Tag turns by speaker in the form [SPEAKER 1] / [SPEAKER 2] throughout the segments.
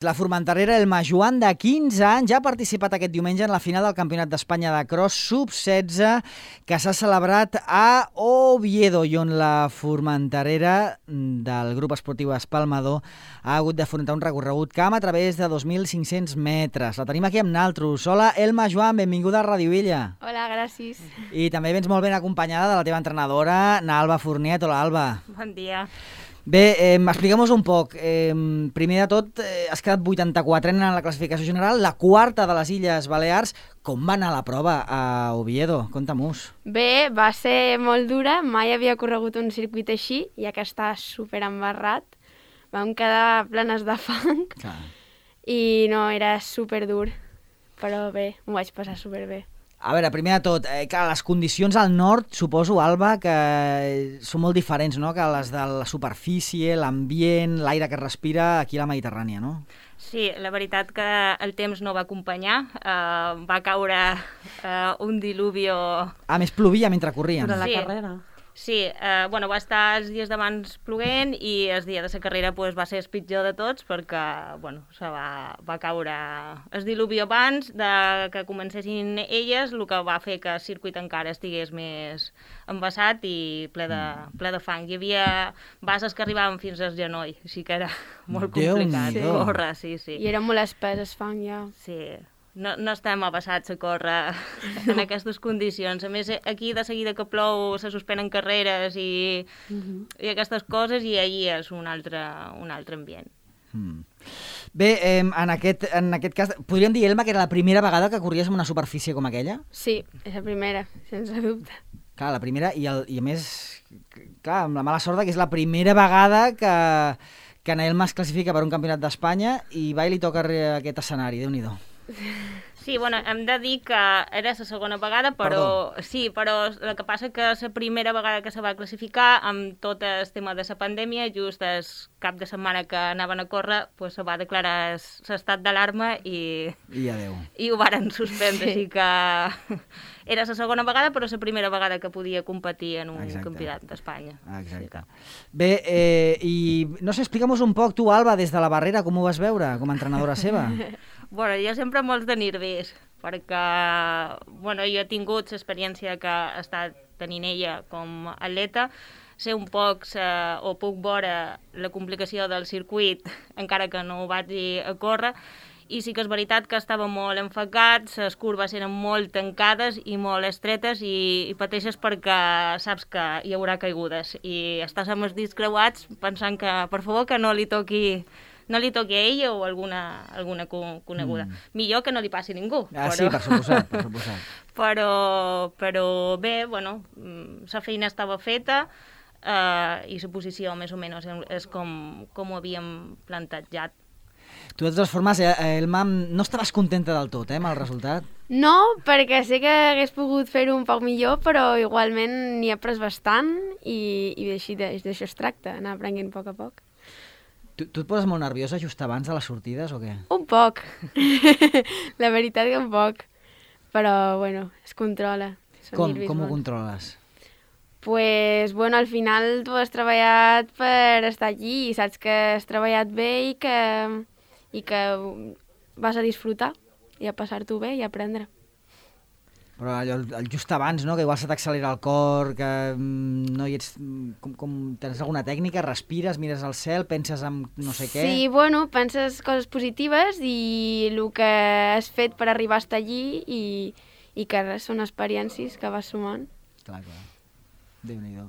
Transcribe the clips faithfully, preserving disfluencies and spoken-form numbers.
[SPEAKER 1] La formenterera Elma Joan, de quinze anys, ja ha participat aquest diumenge en la final del Campionat d'Espanya de Cross sub setze que s'ha celebrat a Oviedo i on la formenterera del grup esportiu Espalmador ha hagut d'afrontar un recorregut camp a través de dos mil cinc-cents metres. La tenim aquí amb naltros. Hola, Elma Joan, benvinguda a Ràdio Villa.
[SPEAKER 2] Hola, gràcies.
[SPEAKER 1] I també vens molt ben acompanyada de la teva entrenadora, Alba Fourniet. Hola, Alba.
[SPEAKER 2] Bon dia.
[SPEAKER 1] Bé, eh, explica'm-nos un poc. Eh, primer de tot, eh, has quedat vuitanta-quatre en la classificació general, la quarta de les Illes Balears. Com va anar la prova a Oviedo? Conta-m'ho.
[SPEAKER 2] Bé, va ser molt dura. Mai havia corregut un circuit així, ja que està super embarrat. Vam quedar plenes de fang.
[SPEAKER 1] Clar.
[SPEAKER 2] I no, era super dur. Però bé, m'ho vaig passar super bé.
[SPEAKER 1] A veure, primer de tot, eh, clar, les condicions al nord, suposo, Alba, que són molt diferents, no?, que les de la superfície, l'ambient, l'aire que es respira aquí a la Mediterrània, no?
[SPEAKER 3] Sí, la veritat que el temps no va acompanyar, uh, va caure uh, un diluvio...
[SPEAKER 1] A més, plovia mentre corrien.
[SPEAKER 4] Durant la
[SPEAKER 3] Sí.
[SPEAKER 4] carrera.
[SPEAKER 3] Sí, eh, bueno, va estar els dies d'abans ploguent i el dia de la carrera pues, va ser el pitjor de tots perquè bueno, se va, va caure el diluvi abans de que comencessin elles, el que va fer que el circuit encara estigués més embassat i ple de, ple de fang. Hi havia bases que arribaven fins al genoll, així que era molt complicat
[SPEAKER 1] Déu-n'hi-do.
[SPEAKER 3] córrer, sí, sí.
[SPEAKER 2] I era molt espès el fang, ja.
[SPEAKER 3] Sí, no, no estem abassats a córrer en aquestes condicions. A més, aquí de seguida que plou se suspenen carreres i,
[SPEAKER 2] Uh-huh.
[SPEAKER 3] i aquestes coses i ahir és un altre, un altre ambient.
[SPEAKER 1] Mm. Bé, eh, en, aquest, en aquest cas, podríem dir, Elma, que era la primera vegada que corries en una superfície com aquella?
[SPEAKER 2] Sí, és la primera, sense dubte.
[SPEAKER 1] Clar, la primera, i, el, i a més, clar, amb la mala sort que és la primera vegada que, que en Elma es classifica per un campionat d'Espanya i va i li toca aquest escenari, Déu-n'hi-do.
[SPEAKER 3] Sí, bueno, hem de dir que era la segona vegada, però
[SPEAKER 1] Perdó.
[SPEAKER 3] sí, però el que passa que la primera vegada que se va classificar amb tot el tema de la pandèmia, just el cap de setmana que anaven a córrer, pues, se va declarar l'estat d'alarma i,
[SPEAKER 1] I adeu.
[SPEAKER 3] i ho varen suspendre,
[SPEAKER 2] Sí.
[SPEAKER 3] així que era la segona vegada, però la primera vegada que podia competir en un
[SPEAKER 1] Exacte.
[SPEAKER 3] campionat d'Espanya.
[SPEAKER 1] Exacte. Bé, eh, i no sé, explica'm-nos un poc, tu, Alba, des de la barrera, com ho vas veure com a entrenadora seva?
[SPEAKER 3] Bueno, jo sempre molts de nervis, perquè bueno, jo he tingut l'experiència que ha estat tenint ella com a atleta, sé un poc sa, o puc veure la complicació del circuit, encara que no ho vaig a córrer, i sí que és veritat que estava molt enfocat, les curves eren molt tancades i molt estretes i, i pateixes perquè saps que hi haurà caigudes i estàs amb els dits creuats pensant que per favor que no li toqui no li toqui a ella o alguna, alguna coneguda. Mm. Millor que no li passi a ningú.
[SPEAKER 1] Ah,
[SPEAKER 3] però...
[SPEAKER 1] sí, per suposat, per suposat.
[SPEAKER 3] però, però bé, bueno, la feina estava feta eh, i la posició més o menys és com, com ho havíem plantejat.
[SPEAKER 1] Tu, de totes formes, eh, Elma, no estaves contenta del tot, eh, amb el resultat?
[SPEAKER 2] No, perquè sé que hagués pogut fer-ho un poc millor, però igualment n'hi he pres bastant i, i així d'això es tracta, anar aprenent a poc a poc.
[SPEAKER 1] Tu, tu et poses molt nerviosa just abans de les sortides o què?
[SPEAKER 2] Un poc. La veritat que un poc. Però, bueno, es controla. Són
[SPEAKER 1] Com,
[SPEAKER 2] nervis
[SPEAKER 1] com ho
[SPEAKER 2] bons.
[SPEAKER 1] controles?
[SPEAKER 2] Pues, bueno, al final tu has treballat per estar allí i saps que has treballat bé i que, i que vas a disfrutar i a passar-t'ho bé i a aprendre.
[SPEAKER 1] Però allò, el just abans, no?, que igual se t'accelera el cor, que mm, no hi ets... Com, com, tens alguna tècnica? Respires, mires al cel, penses en no sé què?
[SPEAKER 2] Sí, bueno, penses coses positives i el que has fet per arribar a estar allí i, i que res, són experiències que vas sumant.
[SPEAKER 1] Clar, clar. Déu-n'hi-do.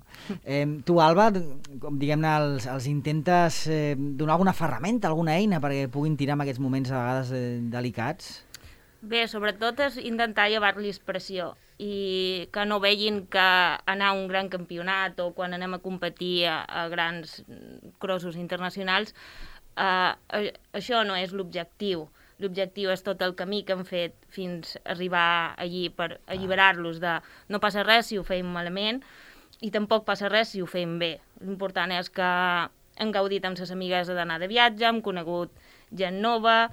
[SPEAKER 1] Eh, tu, Alba, com diguem-ne, els, els intentes eh, donar alguna ferramenta, alguna eina perquè puguin tirar en aquests moments a vegades eh, delicats?
[SPEAKER 3] Bé, sobretot és intentar llevar-los pressió i que no vegin que anar a un gran campionat o quan anem a competir a, a grans crossos internacionals, eh, això no és l'objectiu. L'objectiu és tot el camí que hem fet fins a arribar allí per alliberar-los de no passa res si ho fem malament i tampoc passa res si ho fem bé. L'important és que hem gaudit amb les amigues d'anar de viatge, hem conegut gent nova,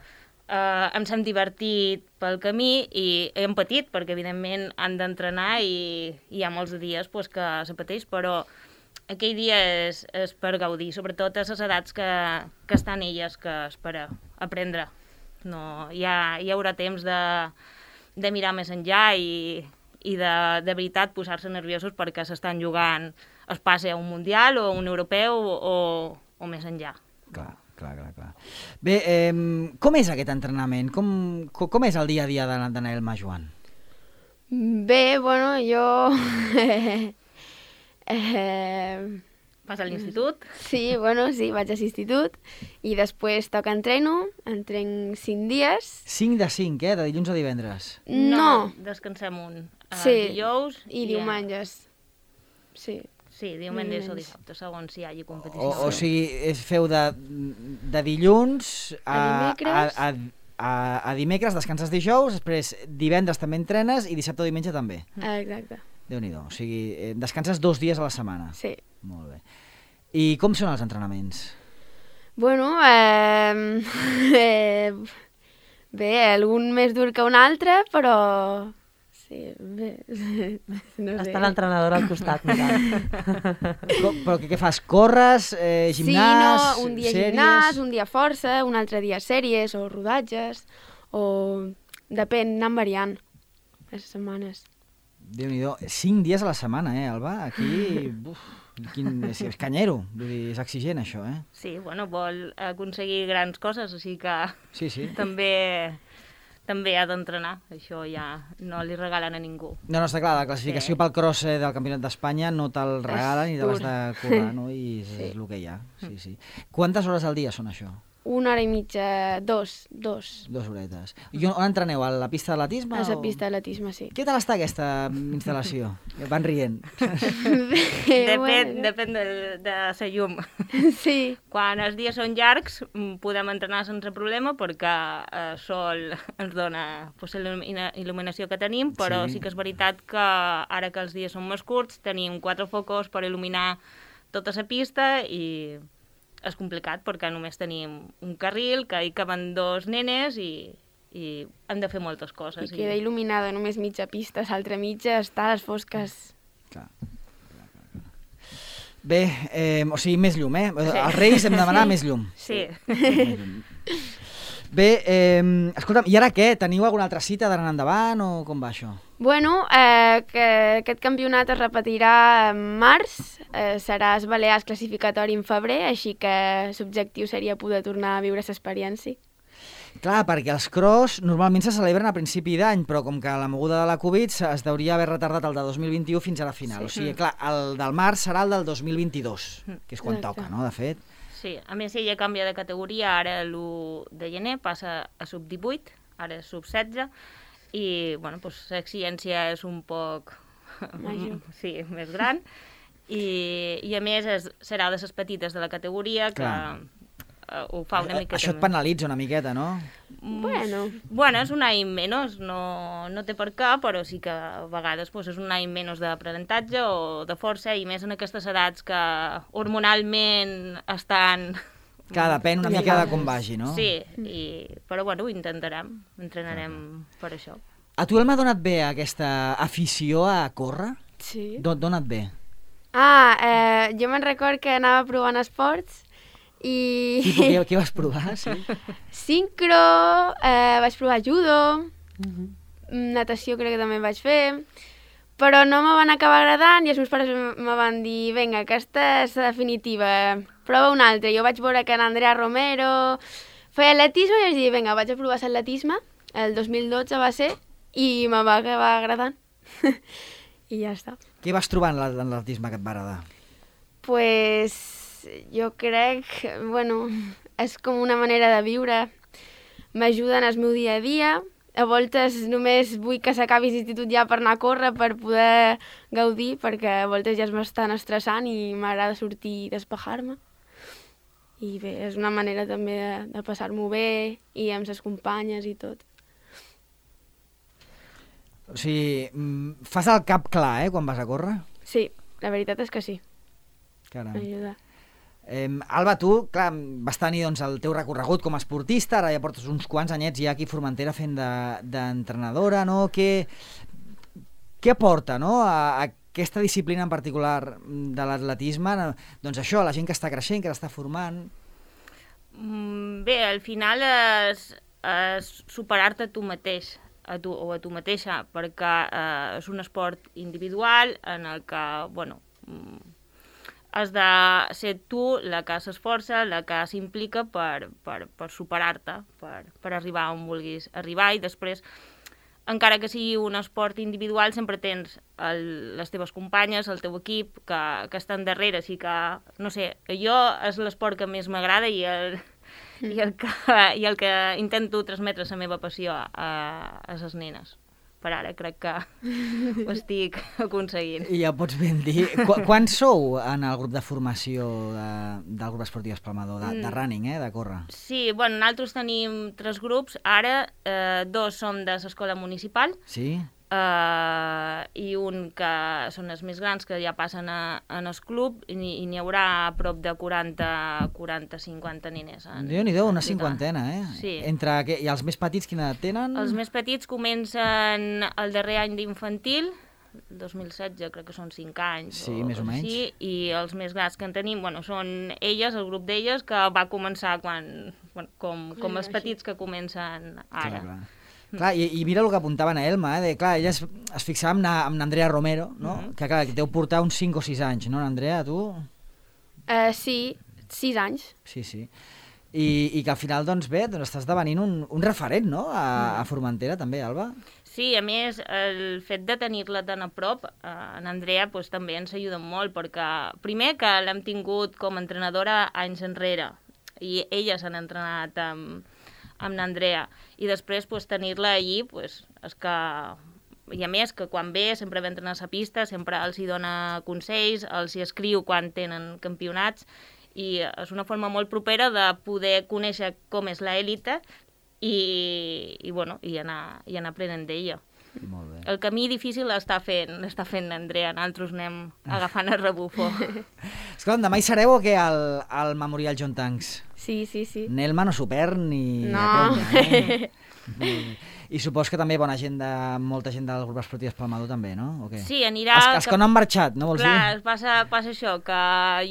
[SPEAKER 3] Uh, ens hem divertit pel camí i hem patit, perquè evidentment han d'entrenar i, i hi ha molts dies pues, que se pateix, però aquell dia és, és per gaudir, sobretot a les edats que, que estan elles, que és per, aprendre. No, hi, ha, hi haurà temps de, de mirar més enllà i, i de, de veritat posar-se nerviosos perquè s'estan jugant es passi a un mundial o a un europeu o, o més enllà.
[SPEAKER 1] Clar, clar, clar. clar. Bé, eh, com és aquest entrenament? Com, com, com és el dia a dia de, de Nael Majoan?
[SPEAKER 2] Bé, bueno, jo... eh...
[SPEAKER 3] Vas a l'institut?
[SPEAKER 2] Sí, bueno, sí, vaig a l'institut i després toca entreno, entrenc cinc dies.
[SPEAKER 1] cinc de cinc, eh? De dilluns a divendres.
[SPEAKER 2] No.
[SPEAKER 3] no descansem un. Uh,
[SPEAKER 2] Sí,
[SPEAKER 3] dijous
[SPEAKER 2] i diumenges. Sí.
[SPEAKER 3] Sí, diumenges o
[SPEAKER 2] Diumenges.
[SPEAKER 3] dissabte, segons si hi hagi competició.
[SPEAKER 1] O, o sigui, es feu de, de dilluns a,
[SPEAKER 2] A dimecres.
[SPEAKER 1] a, a, a, a dimecres, descanses dijous, després divendres també entrenes i dissabte o diumenge també.
[SPEAKER 2] Exacte.
[SPEAKER 1] Déu-n'hi-do. O sigui, eh, descanses dos dies a la setmana.
[SPEAKER 2] Sí.
[SPEAKER 1] Molt bé. I com són els entrenaments?
[SPEAKER 2] Bueno, eh, eh, bé, algun més dur que un altre, però sí, bé, no sé.
[SPEAKER 4] Està l'entrenador al costat, mirant.
[SPEAKER 1] Com, però què, què fas? Corres, eh, gimnàs,
[SPEAKER 2] sí, no, un dia
[SPEAKER 1] sèries?
[SPEAKER 2] gimnàs, un dia força, un altre dia sèries o rodatges, o depèn, anant variant les setmanes.
[SPEAKER 1] Déu-n'hi-do. Cinc dies a la setmana, eh, Alba? Aquí, buf, quin, és, és canyero, vull dir, és exigent això, eh?
[SPEAKER 3] Sí, bueno, vol aconseguir grans coses, o sigui que
[SPEAKER 1] Sí, sí.
[SPEAKER 3] també, també ha d'entrenar. Això ja no li regalen a ningú.
[SPEAKER 1] No, no, està clar, la classificació
[SPEAKER 3] Sí.
[SPEAKER 1] pel cross eh, del Campionat d'Espanya no te'l regalen i te l'has
[SPEAKER 2] dur.
[SPEAKER 1] de currar, no? I és,
[SPEAKER 2] Sí.
[SPEAKER 1] és el que hi ha, sí, sí. Quantes hores al dia són això?
[SPEAKER 2] Una hora i mitja, dos, dos.
[SPEAKER 1] Dues horetes. I on, on entreneu? A la pista d'atletisme?
[SPEAKER 2] A la
[SPEAKER 1] o-
[SPEAKER 2] pista d'atletisme, sí.
[SPEAKER 1] Què tal està aquesta instal·lació? Van rient.
[SPEAKER 3] Depèn, depèn de, de la llum.
[SPEAKER 2] Sí,
[SPEAKER 3] Quan els dies són llargs mm, podem entrenar sense problema perquè el eh, sol ens dona pues, la il·lumina- il·luminació que tenim, però
[SPEAKER 1] Sí.
[SPEAKER 3] sí. sí que és veritat que ara que els dies són més curts tenim quatre focus per il·luminar tota la pista i és complicat perquè només tenim un carril que hi caben dos nenes i, i hem de fer moltes
[SPEAKER 2] i
[SPEAKER 3] coses.
[SPEAKER 2] queda il·luminada només mitja pista, l'altra mitja està a les fosques.
[SPEAKER 1] Clar. Bé, eh, o sigui, més llum, eh? Els Reis hem de demanar
[SPEAKER 2] Sí.
[SPEAKER 1] més llum.
[SPEAKER 3] Sí.
[SPEAKER 1] Més llum. Bé, eh, escolta'm, i ara què? Teniu alguna altra cita d'anar endavant o com va això?
[SPEAKER 2] Bueno, eh, que aquest campionat es repetirà en març, eh, serà el Balears classificatori en febrer, així que l'objectiu seria poder tornar a viure l'experiència.
[SPEAKER 1] Clar, perquè els cross normalment se celebren a principi d'any, però com que la moguda de la Covid se- es deuria haver retardat el de dos mil vint-i-u fins a la final.
[SPEAKER 2] Sí.
[SPEAKER 1] O sigui, clar, el del març serà el del dos mil vint-i-dos, que és quan
[SPEAKER 2] Exacte.
[SPEAKER 1] toca, no?, de fet.
[SPEAKER 3] Sí, a més ella canvia de categoria, ara l'u de gener passa a sub divuit, ara és sub setze, i bueno, doncs, l'exigència és un poc
[SPEAKER 2] Major.
[SPEAKER 3] sí, més gran, i, i a més és, serà de les petites de la categoria que
[SPEAKER 1] Clar.
[SPEAKER 3] eh, ho fa una mica...
[SPEAKER 1] Això et penalitza una miqueta, no?
[SPEAKER 2] Bueno,
[SPEAKER 3] Bueno, és un any menys, no, no té per què, però sí que a vegades pues, és un any menys d'aprenentatge o de força, i més en aquestes edats que hormonalment estan...
[SPEAKER 1] Clar, depèn una
[SPEAKER 2] Ja
[SPEAKER 1] mica de
[SPEAKER 2] pares.
[SPEAKER 1] com vagi, no?
[SPEAKER 3] Sí, i, però bueno, ho intentarem, entrenarem per això.
[SPEAKER 1] A tu, Elma, ha donat bé aquesta afició a córrer?
[SPEAKER 2] sí.
[SPEAKER 1] Do Dona't bé.
[SPEAKER 2] Ah, eh, jo me'n record que anava provant esports i...
[SPEAKER 1] Tipo, què, què vas provar? Sí?
[SPEAKER 2] Sincro, eh, vaig provar judo,
[SPEAKER 4] Mhm.
[SPEAKER 2] natació crec que també vaig fer, però no me van acabar agradant i els meus pares m- me van dir vinga, aquesta és la definitiva, prova una altra. Jo vaig veure que en Andrea Romero feia atletisme i vaig dir vinga, vaig a provar l'atletisme, el dos mil dotze va ser, i me va acabar agradant. I ja està.
[SPEAKER 1] Què vas trobar en la- en l'atletisme que et va agradar?
[SPEAKER 2] Pues jo crec, bueno, és com una manera de viure. M'ajuda en el meu dia a dia. A voltes només vull que s'acabi l'institut ja per anar a córrer, per poder gaudir, perquè a voltes ja m'estan estressant i m'agrada sortir i despejar-me. I bé, és una manera també de, de passar-m'ho bé i amb les companyes i tot.
[SPEAKER 1] O sigui, mm, fas el cap clar, eh, quan vas a córrer?
[SPEAKER 2] Sí, la veritat és que sí,
[SPEAKER 1] Caram.
[SPEAKER 2] m'ajuda.
[SPEAKER 1] Eh, Alba, tu, clar, vas tenir doncs, el teu recorregut com a esportista, ara ja portes uns quants anyets ja aquí a Formentera fent de- d'entrenadora, no? Què, què aporta, no?, a, a aquesta disciplina en particular de l'atletisme? Doncs això, la gent que està creixent, que l'està formant...
[SPEAKER 3] Bé, al final és, és superar-te a tu mateix a tu, o a tu mateixa, perquè eh, és un esport individual en el que, bueno, has de ser tu la que s'esforça, la que s'implica per, per, per superar-te, per, per arribar on vulguis arribar, i després, encara que sigui un esport individual, sempre tens el, les teves companyes, el teu equip, que, que estan darrere, així que, no sé, jo és l'esport que més m'agrada i el, mm. i, el que, i el que intento transmetre la meva passió a, a les nenes. Per ara crec que ho estic aconseguint.
[SPEAKER 1] I ja ho pots ben dir. Qu Quants sou en el grup de formació de, del grup esportiu Espalmador, de, de running, eh, de córrer?
[SPEAKER 3] Sí, bueno, nosaltres tenim tres grups. Ara eh, dos som de l'escola municipal.
[SPEAKER 1] Sí?
[SPEAKER 3] Uh, i un que són els més grans, que ja passen a, en el club, i n'hi haurà a prop de quaranta, quaranta, cinquanta nenes.
[SPEAKER 1] Déu-n'hi-do, una cinquantena, eh?
[SPEAKER 3] Sí.
[SPEAKER 1] Entre, I els més petits quina edat tenen?
[SPEAKER 3] Els més petits comencen el darrer any d'infantil, dos mil setze, crec que són cinc anys.
[SPEAKER 1] Sí,
[SPEAKER 3] o,
[SPEAKER 1] més o menys.
[SPEAKER 3] Sí, i els més grans que en tenim, bueno, són elles, el grup d'elles, que va començar quan, bueno, com, com els petits que comencen ara.
[SPEAKER 1] Clar, clar. Clar, i, i mira el que apuntava a Elma, eh, de, clar, ella es, es fixava amb, na, amb Andrea Romero, no? Mm -hmm. que, clar, que deu portar uns cinc o sis anys, no, Andrea, tu?
[SPEAKER 2] Uh, sí, sis anys.
[SPEAKER 1] Sí, sí. I, i que al final, doncs bé, doncs estàs esdevenint un, un referent, no?, a, a Formentera, també, Alba?
[SPEAKER 3] Sí, a més, el fet de tenir-la tan a prop, eh, en Andrea, pues, també ens ajuda molt, perquè primer que l'hem tingut com a entrenadora anys enrere, i ella s'han entrenat amb amb l'Andrea, i després pues, tenir-la allí, pues, és que... I a més, que quan ve sempre ve a entrenar a la pista, sempre els hi dona consells, els hi escriu quan tenen campionats, i és una forma molt propera de poder conèixer com és l'élite i, i, bueno, i, anar, i anar aprenent d'ella.
[SPEAKER 1] Molt bé.
[SPEAKER 3] El camí difícil l'està fent, l'està fent l'Andrea, nosaltres anem agafant el rebufo.
[SPEAKER 1] Escolta, demà hi sereu o què al, al Memorial John Tanks?
[SPEAKER 2] Sí, sí, sí.
[SPEAKER 1] Nelma no s'ho perd ni...
[SPEAKER 2] No.
[SPEAKER 1] Conya, eh? I supos que també bona gent de... molta gent del grup esportiu Espalmador també, no? O què?
[SPEAKER 3] Sí, anirà...
[SPEAKER 1] Els, els que no han marxat, no vols
[SPEAKER 3] Clar,
[SPEAKER 1] dir?
[SPEAKER 3] passa, passa això, que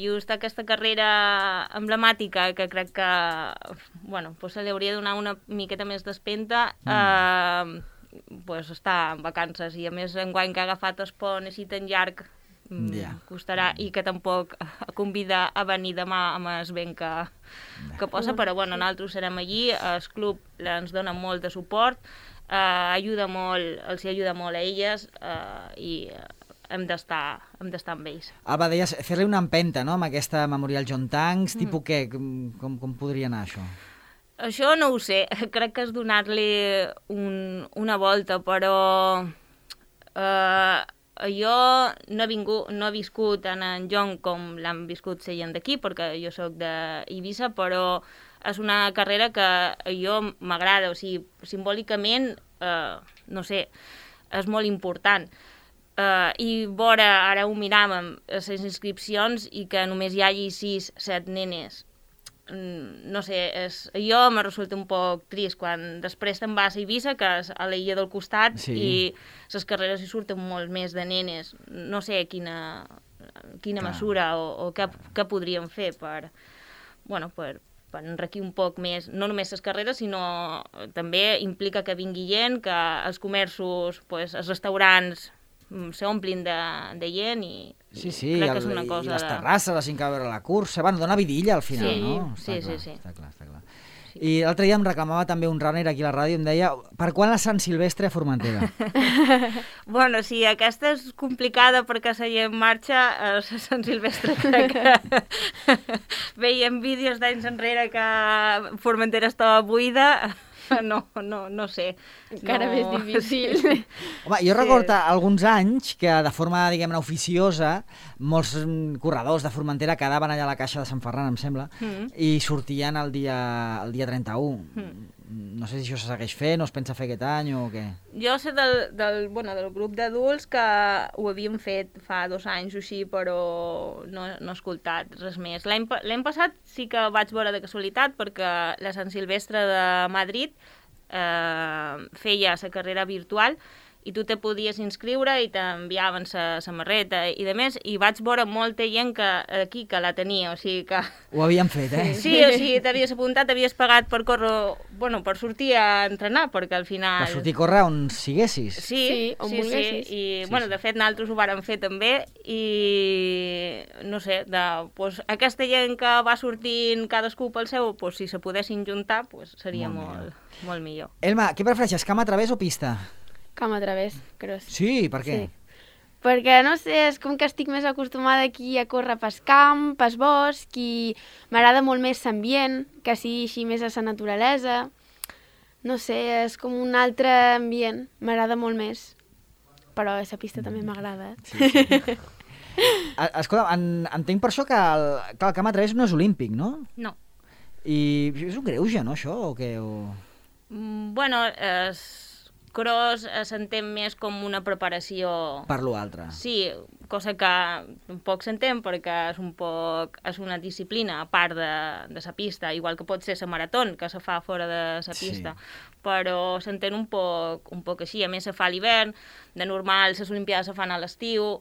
[SPEAKER 3] just aquesta carrera emblemàtica, que crec que bueno, pues se li hauria de donar una miqueta més d'espenta, mm. eh, pues està en vacances, i a més enguany que ha agafat el pont així tan llarg, yeah. costarà, i que tampoc convida a venir demà amb el vent que, que posa, però bueno, nosaltres serem allí, el club ens dona molt de suport, eh, ajuda molt, els hi ajuda molt a elles, eh, i hem d'estar hem d'estar amb ells.
[SPEAKER 1] Alba, deies fer-li una empenta, no?, amb aquesta Memorial John Tanks, mm. tipus què? Com, com podria anar això?
[SPEAKER 3] Això no ho sé, crec que és donar-li un, una volta, però eh, jo no he, vingut, no he viscut en en John com l'han viscut la gent d'aquí, perquè jo sóc d'Eivissa, però és una carrera que a jo m'agrada, o sigui, simbòlicament, eh, no sé, és molt important. Uh, I vora, ara ho miràvem, les inscripcions, i que només hi hagi sis, set nenes, no sé, és, jo me resulta un poc trist quan després te'n vas a Eivissa, que és a l'illa del costat, sí. I les carreres hi surten molt més de nenes. No sé quina, quina mesura o, o què, què podríem fer per, bueno, per, per enriquir un poc més, no només les carreres, sinó també implica que vingui gent, que els comerços, pues, els restaurants s'omplin de, de gent, i,
[SPEAKER 1] sí, sí,
[SPEAKER 3] i crec que
[SPEAKER 1] el,
[SPEAKER 3] és una cosa...
[SPEAKER 1] I les
[SPEAKER 3] de...
[SPEAKER 1] terrasses, la gent que va veure la cursa, bueno, dona vidilla al final,
[SPEAKER 3] sí,
[SPEAKER 1] no?
[SPEAKER 3] Sí,
[SPEAKER 1] està
[SPEAKER 3] sí,
[SPEAKER 1] clar,
[SPEAKER 3] sí.
[SPEAKER 1] Està clar, està clar.
[SPEAKER 3] Sí.
[SPEAKER 1] I l'altre dia em reclamava també un runner aquí a la ràdio, em deia, per quan la Sant Silvestre a Formentera?
[SPEAKER 3] Bueno, sí, aquesta és complicada perquè la gent marxa a Sant Silvestre, crec que veiem vídeos d'anys enrere que Formentera estava buida. No, no, no sé.
[SPEAKER 2] Encara
[SPEAKER 3] no...
[SPEAKER 2] més difícil.
[SPEAKER 3] Sí.
[SPEAKER 1] Home, jo recordo sí. alguns anys que de forma, diguem-ne, oficiosa, molts corredors de Formentera quedaven allà a la caixa de Sant Ferran, em sembla, mm. i sortien el dia, el dia trenta-u. Mm. No sé si això se segueix fent, o es pensa fer aquest any o què?
[SPEAKER 3] Jo sé del, del, bueno, del grup d'adults que ho havíem fet fa dos anys o així, però no, no he escoltat res més. L'any passat sí que vaig veure de casualitat, perquè la Sant Silvestre de Madrid eh, feia la carrera virtual, i tu te podies inscriure i t'enviaven la samarreta i de més, i vaig veure molta gent que, aquí que la tenia, o sigui que...
[SPEAKER 1] Ho havien fet, eh?
[SPEAKER 3] Sí, o sigui, t'havies apuntat, t'havies pagat per córrer, bueno, per sortir a entrenar, perquè al final...
[SPEAKER 1] Per sortir a córrer on siguessis.
[SPEAKER 3] Sí,
[SPEAKER 2] Sí, on
[SPEAKER 3] sí, sí,
[SPEAKER 2] volguessis.
[SPEAKER 3] i
[SPEAKER 1] Sí,
[SPEAKER 3] bueno,
[SPEAKER 1] sí.
[SPEAKER 3] de fet nosaltres ho vàrem fer també, i no sé, de, pues, aquesta gent que va sortint cadascú pel seu, pues, si se poguessin juntar, pues, seria
[SPEAKER 1] Molt
[SPEAKER 3] molt, molt, molt millor.
[SPEAKER 1] Elma, què prefereixes, camp a través o pista?
[SPEAKER 2] Camp a través, cross.
[SPEAKER 1] Sí, per què?
[SPEAKER 2] Sí. Perquè, no sé, és com que estic més acostumada aquí a córrer pel camp, pel bosc, i m'agrada molt més l'ambient, que sigui així més a la naturalesa. No sé, és com un altre ambient, m'agrada molt més. Però a la pista també m'agrada. Eh?
[SPEAKER 1] Sí, sí. A- Escolta, en, entenc per això que el, que el camp a través no és olímpic, no?
[SPEAKER 3] No.
[SPEAKER 1] I és un greuge, no, això, o què? O...
[SPEAKER 3] Mm, Bueno, es... cross eh, s'entén més com una preparació...
[SPEAKER 1] Per l'altre.
[SPEAKER 3] Sí, cosa que tampoc s'entén perquè és un poc, és una disciplina a part de, de la pista, igual que pot ser la marató, que se fa fora de la pista,
[SPEAKER 1] Sí.
[SPEAKER 3] però s'entén un poc, un poc així. A més, se fa a l'hivern, de normal les Olimpiades se fan a l'estiu,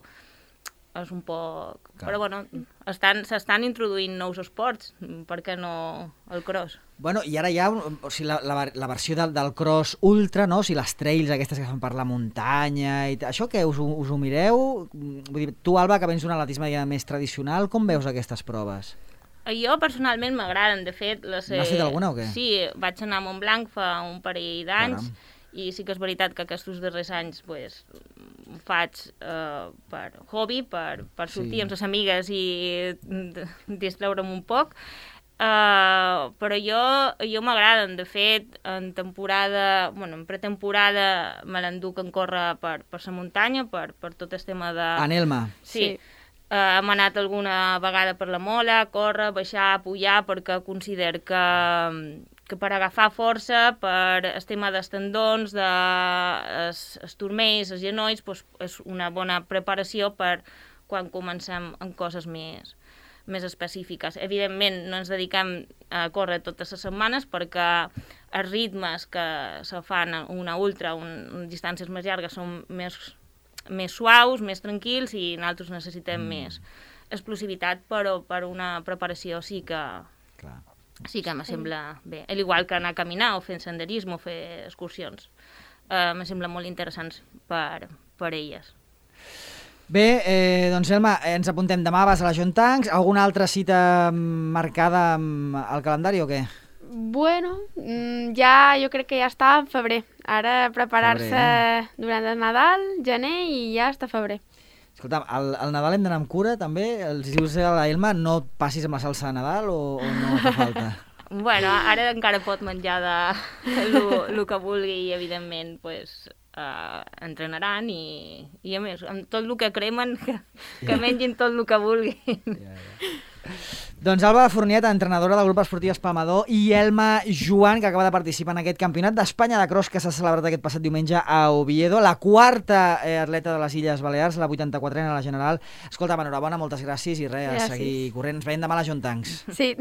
[SPEAKER 3] és un poc...
[SPEAKER 1] Clar.
[SPEAKER 3] Però bueno, estan, s'estan introduint nous esports, per què no el cross?
[SPEAKER 1] Bueno, i ara hi ha un- o sigui, la, la, la versió del, del cross ultra, no? O sigui, les trails aquestes que fan per la muntanya i t- això què, us, ho- us ho mireu? Mm, Vull dir, tu, Alba, que vens d'un atletisme ja més tradicional, com veus aquestes proves?
[SPEAKER 3] Jo personalment m'agraden, de fet... Les,
[SPEAKER 1] N'has fet alguna o què?
[SPEAKER 3] Sí, vaig anar a Montblanc fa un parell d'anys,
[SPEAKER 1] Caram.
[SPEAKER 3] i sí que és veritat que aquests darrers anys pues, ho faig eh, per hobby, per, per sortir
[SPEAKER 1] Sí.
[SPEAKER 3] amb les amigues i d- distreure'm un poc, uh, però jo, jo m'agraden. De fet, en temporada, bueno, en pretemporada me l'enduc en córrer per, per la muntanya, per, per tot el tema de...
[SPEAKER 1] En Elma.
[SPEAKER 3] Sí.
[SPEAKER 2] Sí.
[SPEAKER 3] Uh, hem anat alguna vegada per la mola, córrer, baixar, pujar, perquè considero que, que per agafar força, per el tema dels tendons, de es, es turmells, els genolls, doncs és una bona preparació per quan comencem en coses més, més específiques. Evidentment, no ens dediquem a córrer totes les setmanes perquè els ritmes que se fan en una ultra, un, distàncies més llargues, són més més suaus, més tranquils, i nosaltres necessitem mm. més explosivitat, però per una preparació sí que,
[SPEAKER 1] Clar.
[SPEAKER 3] sí que me sembla bé. Al igual que anar a caminar o fer senderisme o fer excursions. Uh, me sembla molt interessants per, per elles.
[SPEAKER 1] Bé, eh, doncs Elma, eh, ens apuntem demà, vas a la Jontancs. Alguna altra cita mm, marcada mm, al calendari o què?
[SPEAKER 2] Bueno, mm, ja jo crec que ja està en febrer. Ara preparar-se
[SPEAKER 1] Febrer,
[SPEAKER 2] durant el Nadal, gener, i ja està febrer.
[SPEAKER 1] Escolta, al, al Nadal hem d'anar amb cura, també? Els dius a la Elma, no et passis amb la salsa de Nadal o, o no fa falta?
[SPEAKER 3] Bueno, ara encara pot menjar de el que vulgui i, evidentment, pues, uh, entrenaran i, i, a més, amb tot el que cremen, que, que mengin tot el que vulguin.
[SPEAKER 1] Ja, ja. Doncs Alba Fourniet, entrenadora del grup esportiu Espalmador, i Elma Joan, que acaba de participar en aquest campionat d'Espanya de cross que s'ha celebrat aquest passat diumenge a Oviedo, la quarta eh, atleta de les Illes Balears, la vuitanta-quatrena a la general. Escolta, enhorabona, moltes gràcies i res, a
[SPEAKER 2] Gràcies.
[SPEAKER 1] seguir corrent. Ens veiem demà a la Jontancs.
[SPEAKER 2] Sí.